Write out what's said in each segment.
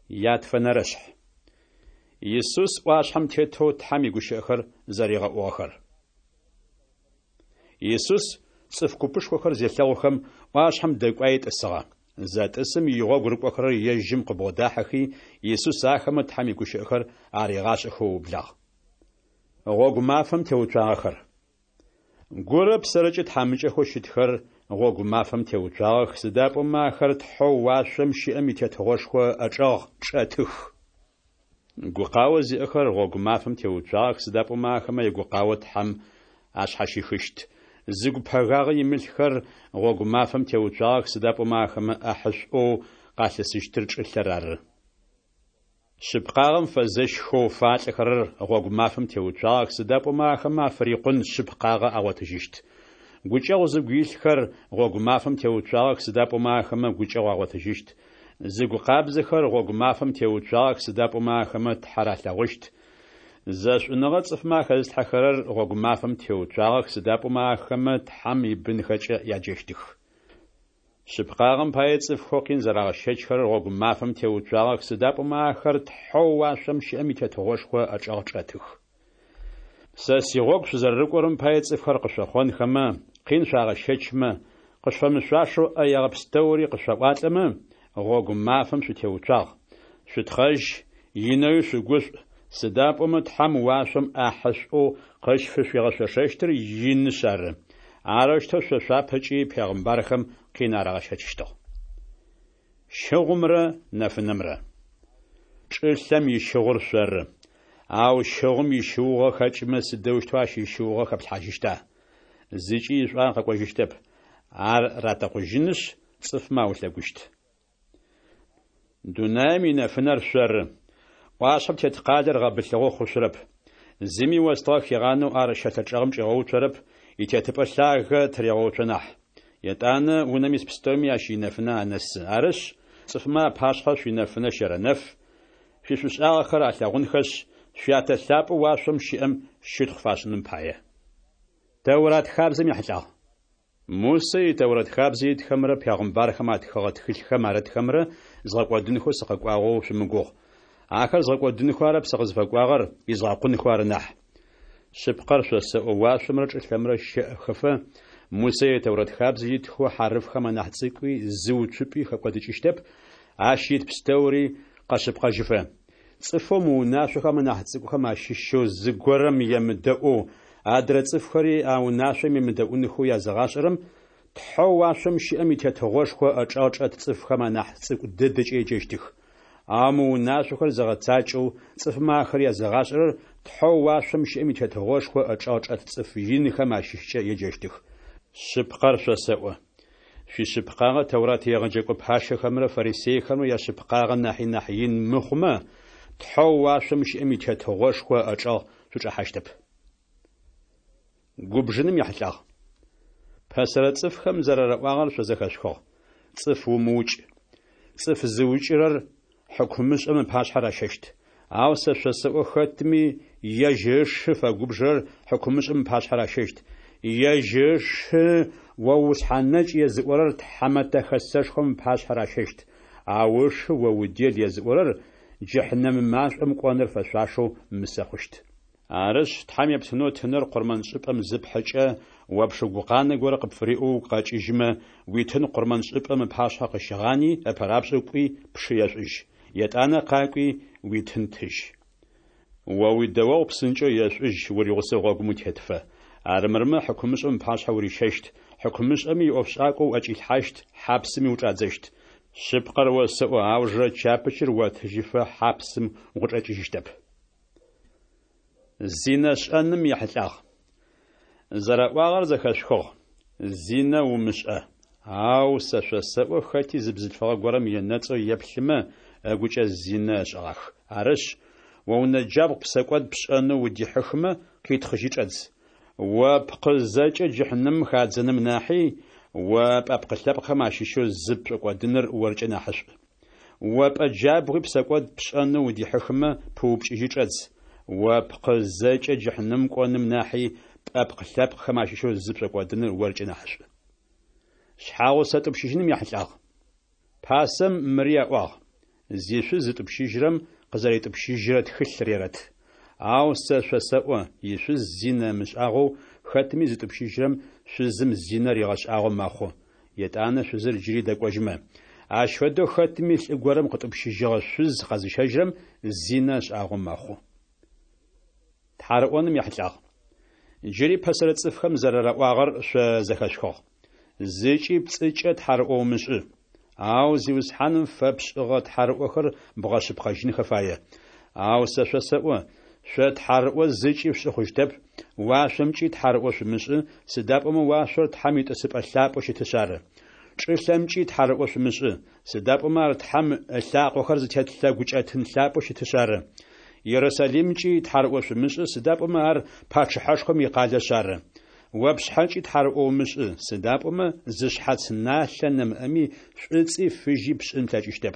Ятфэнэрэшъхь. Исус ӏуашъхьэм тетэу Тхьэм игущыӏэхэр зэригъэӏугъэхэр. Исус цӏыф купышхохэр зелъэгъухэм, ӏуашъхьэм дэкӏуаий тӏысыгъэ. Зэтӏысым игъогу рыкӏохэрэр ежьым къыбгъодахьэхи, Исус ахэмэ Тхьэм игущыӏэхэр аригъашӏэхэу ыублагъ. Гъогу мафэм теуцуагъэхэр. Гурэ псэрэкӏэ тхьамыкӏэхэу щытхэр гъогу мафэм теуцуагъэх, сыда пӏомэ ахэр Тхьэу уашъом щыӏэм и Тетыгъошхо ыӏэчӏэгъ чӏэтых. Гукъао зиӏэхэр гъогу мафэм теуцуагъэх, сыда пӏомэ ахэмэ ягукъао Тхьэм ашъхьащихыщт. Зыгу пэгагъэ имылъхэр гъогу мафэм теуцуагъэх, сыда пӏомэ ахэмэ ӏахьышӏоу къалъысыщтыр чӏылъэр ары. Шъыпкъагъэм фэзэщхэу фалӏэхэрэр гъогу мафэм теуцуагъэх, сыда пӏомэ ахэмэ афырикъун шъыпкъагъэ агъотыжьыщт. Гукӏэгъу зыгу илъхэр гъогу мафэм теуцуагъэх, сыда пӏомэ ахэмэ гукӏэгъу агъотыжьыщт. Зыгу къабзэхэр гъогу мафэм теуцуагъэх, сыда пӏомэ ахэмэ Тхьэр алъэгъущт. Зэшӏуныгъэ цӏыфмэ ахэзылъхьэхэрэр гъогу мафэм теуцуагъэх, сыда пӏомэ ахэмэ Тхьэм ибынхэкӏэ яджэщтых. Шъыпкъагъэм пае цӏыфхэу къин зэрагъэщэчхэрэр гъогу мафэм теуцуагъэх, сыда пӏомэ ахэр Тхьэу уашъом щыӏэм и Тетыгъошхо ыӏэчӏэгъ чӏэтых. Сэ сигъогу шъузэрэрыкӏорэм пае цӏыфхэр къышъохъонхэмэ, къин шъуагъэщэчмэ, къышъуфэмышъуашэу ӏэегъэ пстэури къышъуаӏуалӏэмэ, гъогу мафэм шъутеуцуагъ. Шъутхъэжь, инэуи шъугушӏу, сыда пӏомэ Тхьэм уашъом ӏахьышӏоу къышъуфигъэшъошэщтыр инышъ ары. Арэущтэу шъо шъуапэкӏи пегъымбархэм къин арагъэщэчыщтыгъ. Щыгъумрэ нэфынэмрэ. Чӏылъэм ищыгъур шъоры. Ау щыгъум ищыугъэ хэкӏымэ сыдэущтэу ащ ищыугъэ хэплъхьажьыщта? Зыкӏи ишӏуагъэ къэкӏожьыщтэп. Ар ратэкъужьынышъ, цӏыфмэ аулъэгущт. Дунаим инэфынэр шъоры. ӏуашъхьэм тет къалэр гъэбылъыгъэу хъушъурэп. Зыми остыгъэ хигъанэу ар щэлъэ чӏэгъым чӏигъэуцорэп, итетыпӏэ лъагэ тырегъэуцо нахь. Етӏанэ унэм ис пстэуми ащ инэфынэ анэсы. Арышъ, цӏыфмэ апашъхьэ шъуинэфынэ щэрэнэф, шъуишӏушӏагъэхэр алъэгъунхэшъ, Шъуятэ лъапӏэу уашъом щыӏэм щытхъу фашӏыным пае. Тэурат хабзэм ехьылӏагъ. Мусэ и Тэурэт хабзэ итхэмрэ пегъымбархэм атхыгъэ тхылъхэм арытхэмрэ згъэкӏодынхэу сыкъэкӏуагъэу шъумыгугъ. Ахэр згъэкӏодынхэу арэп сыкъызфэкӏуагъэр, изгъэкъунхэу ары нахь. Шъыпкъэр шъосэӏо, уашъомрэ чӏылъэмрэ щэӏэхэфэ, Мусэ и Тэурэт хабзэ итхэу хьарыфхэм анахь цӏыкӏуи зы уцупӏи хэкӏодыкӏыщтэп, ащ ит пстэури къэшъыпкъэжьыфэ. Цӏыфэу мы унашъохэм анахь цӏыкӏухэм ащыщэу зыгорэм емыдэӏоу, адрэ цӏыфхэри а унашъом емыдэӏунхэу языгъашӏэрэм, Тхьэу уашъом щыӏэм и Тетыгъошхо ыӏэчӏэгъ чӏэт цӏыфхэм анахь цӏыкӏу дэдэкӏэ еджэщтых. Ау мы унашъохэр зыгъэцакӏэу, цӏыфмэ ахэр языгъашӏэрэр Тхьэу уашъом щыӏэм и Тетыгъошхо ыӏэчӏэгъ чӏэт цӏыф инхэм ащыщкӏэ еджэщтых. Шъыпкъэр шъосэӏо, шъуишъыпкъагъэ Тэурат егъэджэкӏо пащэхэмрэ фарисейхэмрэ яшъыпкъагъэ нахьи нахь ин мыхъумэ, Тхьэу уашъом щыӏэм и Тетыгъошхо ыӏэчӏэгъ шъучӏэхьащтэп. Губжыным ехьылӏагъ. Пэсэрэ цӏыфхэм зэрараӏуагъэр шъо зэхэшъухыгъ: Цӏыф умыукӏ. Цӏыф зыукӏырэр хьыкумышӏэм ыпашъхьэ ращэщт. Ау сэ шъосэӏо, хэтми ежь ышы фэгубжырэр хьыкумышӏэм ыпашъхьэ ращэщт. Ежь ышы о ушъхьэнэкӏ езыӏорэр Тхьэмэтэ Хэсэшхом ыпашъхьэ ращэщт. Ау ышы о удел езыӏорэр джыхьнэмэ машӏом кӏоныр фэшъуашэу мысэ хъущт. Арышъ, Тхьэм ептынэу тыныр къурмэншӏыпӏэм зыпхьыкӏэ, о пшы гукъанэ горэ къыпфыриӏэу угу къэкӏыжьымэ, уитын къурмэншӏыпӏэм ыпашъхьэ къыщыгъани, ыпэрапшӏэу кӏуи, пшы ешӏужь. Етӏанэ къакӏуи, уитын тыжь. О уидэогъу псынкӏэу ешӏужь уригъусэу гъогум утетыфэ. Армырмэ, хьыкумышӏэм ыпашъхьэ урищэщт, хьыкумышӏэми иӏофшӏакӏо уӏэкӏилъхьащт, хьапсыми учӏадзэщт. Шъыпкъэр осэӏо, аужырэ чапычыр отыжьыфэ хьапсым укъычӏэкӏыжьыщтэп. Зинэ шӏэным ехьылӏагъ. Зэраӏуагъэр зэхэшъухыгъ: Зинэ умышӏэ. Ау сэ шъосэӏо, хэти зы бзылъфыгъэ горэм енэцӏэу еплъымэ, ыгукӏэ зинэ ышӏэгъах. Арышъ, о унэджабгъу псэкӏод пшӏэнэу удихьыхымэ, къитхъыжьи чӏэдз. О пкъы зэкӏэ джыхьнэмым хадзэным нахьи, о пӏэпкъы-лъэпкъхэм ащыщэу зы пшӏокӏодыныр оркӏэ нахьышӏу. О пӏэ джабгъуи псэкӏод пшӏэнэу удихьыхымэ, пыупкӏыжьи чӏэдз. О пкъы зэкӏэ джыхьнэмым кӏоным нахьи, пӏэпкъ-лъэпкъхэм ащыщэу зы пшӏокӏодыныр оркӏэ нахьышӏу. Шъхьагъусэ тӏупщыжьыным ехьылӏагъ. Пасэм мыри аӏуагъ. Зишъуз зытӏупщыжьырэм къызэритӏупщыжьырэ тхылъ рерэт. Ау сэ шъосэӏо, ишъуз зинэ ымышӏагъэу хэтми зытӏупщыжьырэм шъузым зинэ ригъэшӏагъэу мэхъу, етӏанэ шъузыр джыри дэкӏожьымэ. Ащ фэдэу хэтми лӏы горэм къытӏупщыжьыгъэ шъуз къэзыщэжьырэм зинэ ышӏагъэу мэхъу. Тхьарыӏоным ехьылӏагъ. Джыри пэсэрэ цӏыфхэм зэрэраӏуагъэр шъо зэхэшъухыгъ. Зыкӏи пцӏыкӏэ тхьарыӏо умышӏы. Ау Зиусхьаным фэпшӏыгъэ тхьарыӏохэр бгъэшъыпкъэжьынхэ фае. Ау сэ шъосэӏо, шъо тхьарыӏо зыкӏи шъушӏы хъущтэп, уашъомкӏи тхьарыӏо шъумышӏы, сыда пӏомэ уашъор Тхьэм итӏысыпӏэ лъапӏэу щытышъ ары. Чӏылъэмкӏи тхьарыӏо шъумышӏы, сыда пӏомэ ар Тхьэм ылъакъохэр зытет лъэгукӏэтын лъапӏэу щытышъ ары. Ерусалимкӏи тхьарыӏо шъумышӏы, сыда пӏомэ ар пачъыхьэшхом икъалэшъ ары. О пшъхьэкӏи тхьарыӏо умышӏы, сыда пӏомэ зы шъхьац налъэ нэмыӏэми шӏуцӏи фыжьи пшӏын плъэкӏыщтэп.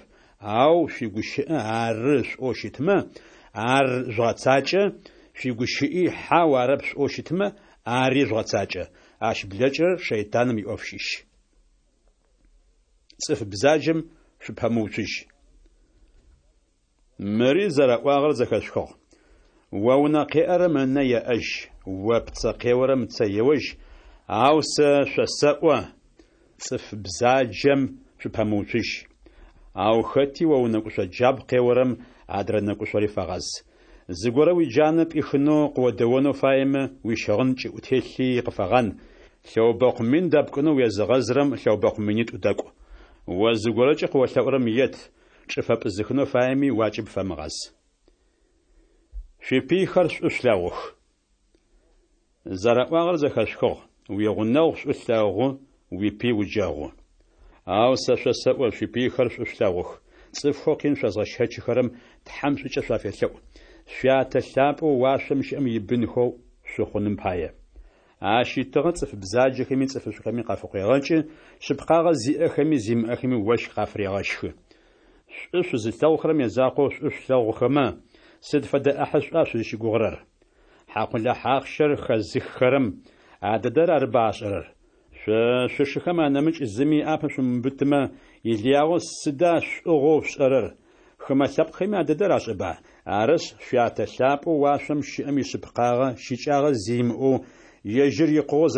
Ау шъуигущыӏэ ары шъуӏоу щытмэ, ар жъугъэцакӏэ, шъуигущыӏи хьау арэп шъуӏоу щытмэ, ари жъугъэцакӏэ. Ащ блэкӏырэр шэйтаным иӏоф щыщ. Цӏыф бзаджэм шъупэмыуцужь. Мыри зэраӏуагъэр зэхэшъухыгъ. О унэ къеӏэрэм ынэ еӏэжь, о пцэ къеорэм ыцэ еожь, ау сэ шъосэӏо, цӏыф бзаджэм шъупэмыуцужь. Ау хэти о унэкӏушъо джабгъу къеорэм адрэ нэкӏушъори фэгъаз. Зыгорэ уиджанэ пӏихынэу къыодэонэу фаемэ, уищыгъын кӏыӏутелъи къыфэгъан, лъэубэкъу мин дэпкӏынэу уезыгъэзырэм лъэубэкъу минитӏу дэкӏу. О зыгорэкӏэ къыолъэӏурэм ет, чӏыфэ пӏызыхынэу фаеми уакӏыб фэмыгъаз. Шъуипыйхэр шӏу шъулъэгъух. Зэраӏуагъэр зэхэшъухыгъ, уигъунэгъу шӏу лъэгъу, уипый уджэгъу. Ау сэ шъосэӏо, шъуипыйхэр шӏу шъулъэгъух, цӏыфхэу къин шъозгъэщэчыхэрэм Тхьэм шӏукӏэ шъуафелъэӏу, Шъуятэ лъапӏэу уашъом щыӏэм ибынхэу шъухъуным пае. Ащ итыгъэ цӏыф бзаджэхэми цӏыфышӏухэми къафыкъуегъэкӏы, шъыпкъагъэ зиӏэхэми зимыӏэхэми ощх къафырегъэщхы. Шӏу шъузылъэгъухэрэм язакъоу шӏу шъулъэгъухэмэ, сыд фэдэ ӏахьышӏуа шъузщыгугъырэр? Хьакъулахь ахъщэр хэзыххэрэм а дэдэр арыба ашӏэрэр? Шъо шъушыхэм анэмыкӏ зыми ыӏапэ шъумыубытымэ, илыягъэу сыда шӏугъэу шъушӏэрэр? Хымэ лъэпкъхэми а дэдэр ашӏэба? Арышъ, Шъуятэ лъапӏэу уашъом щыӏэм ишъыпкъагъэ щыкӏагъэ зи имыӏэу, ежьыр икъугъэу